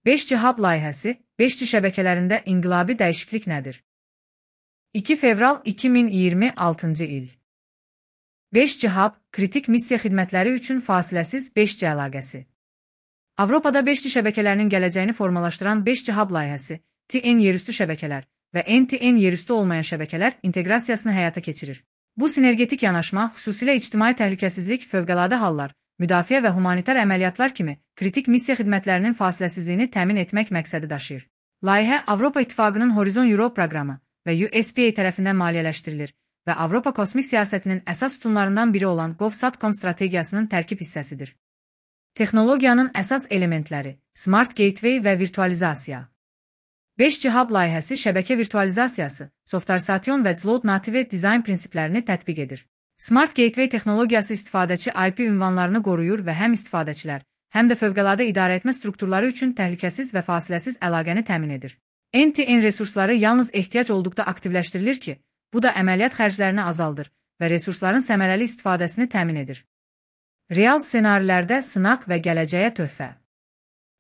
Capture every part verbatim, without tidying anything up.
beş G Hub layihəsi, beş G şəbəkələrində inqilabi dəyişiklik nədir? iki fevral iki min iyirmi altıncı il. beş G Hub, kritik missiya xidmətləri üçün fasiləsiz beş G əlaqəsi. Avropada beş G şəbəkələrinin gələcəyini formalaşdıran beş G Hub layihəsi, T N yerüstü şəbəkələr və N T N yerüstü olmayan şəbəkələr inteqrasiyasını həyata keçirir. Bu sinergetik yanaşma, xüsusilə ictimai təhlükəsizlik, fövqəladə hallar, müdafiə və humanitar əməliyyatlar kimi kritik missiya xidmətlərinin fasiləsizliyini təmin etmək məqsədi daşıyır. Layihə Avropa İttifaqının Horizon Europe proqramı və U S P A tərəfindən maliyyələşdirilir və Avropa kosmik siyasətinin əsas sütunlarından biri olan GovSatcom strategiyasının tərkib hissəsidir. Texnologiyanın əsas elementləri, Smart Gateway və virtualizasiya. beş G Hub layihəsi şəbəkə virtualizasiyası, softarsation və Cloud Native dizayn prinsiplərini tətbiq edir. Smart Gateway texnologiyası istifadəçi I P ünvanlarını qoruyur və həm istifadəçilər, həm də fövqəladə idarəetmə strukturları üçün təhlükəsiz və fasiləsiz əlaqəni təmin edir. N T N resursları yalnız ehtiyac olduqda aktivləşdirilir ki, bu da əməliyyat xərclərini azaldır və resursların səmərəli istifadəsini təmin edir. Real ssenarilərdə sınaq və gələcəyə töhfə.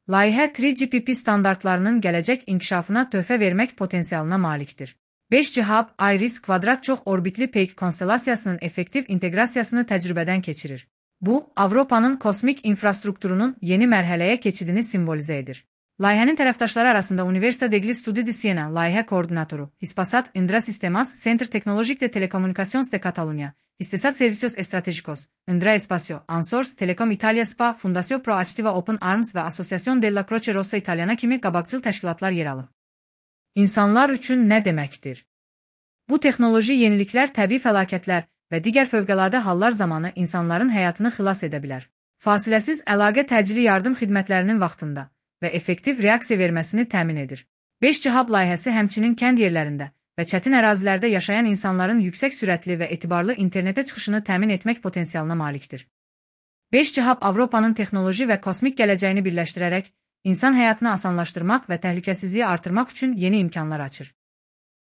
Layihə üç G P P standartlarının gələcək inkişafına töhfə vermək potensialına malikdir. beş G Hub, IRIS kvadrat çox orbitli peyk konstellasiyasının effektiv inteqrasiyasını təcrübədən keçirir. Bu, Avropanın kosmik infrastrukturunun yeni mərhələyə keçidini simvolizə edir. Layihənin tərəfdaşları arasında Universitat degli Studi di Siena layihə koordinatoru, Hispasat Indra Sistemas, Centre Tecnológico de Telecomunicações de Catalunya, İstisat Servicios Estratégicos, Indra Espacio, Ansors, Telecom Italia S P A, Fundació Proactiva Open Arms və Associación della Croce Rossa Italiana kimi qabaqcıl təşkilatlar yer alır. İnsanlar üçün nə deməkdir? Bu texnoloji yeniliklər təbii fəlakətlər və digər fövqəladə hallar zamanı insanların həyatını xilas edə bilər. Fasiləsiz əlaqə təcili yardım xidmətlərinin vaxtında və effektiv reaksiya verməsini təmin edir. beş G Hub layihəsi həmçinin kənd yerlərində və çətin ərazilərdə yaşayan insanların yüksək sürətli və etibarlı internetə çıxışını təmin etmək potensialına malikdir. beş G Hub Avropanın texnoloji və kosmik gələcəyini birləşdirərək, insan həyatını asanlaşdırmaq və təhlükəsizliyi artırmaq üçün yeni imkanlar açır.